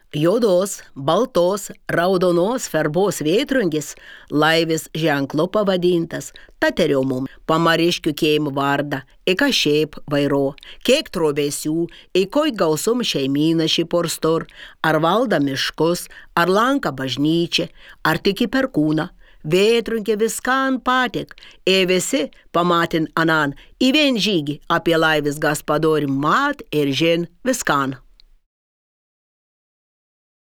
Juodos, baltos, raudonos ferbos vėtrungis laivis ženklu pavadintas Taterio mum pamariškių keim vardą, ika šiaip vairo, kiek trobesių, ikoj gausum šeimyna šį porstor, ar valda miškus, ar lanka bažnyčią, ar tik į perkūną. Vėtrunkė viskan patik, visi pamatin anan, į vien žygį apie laivis gaspadori mat ir žin viskan.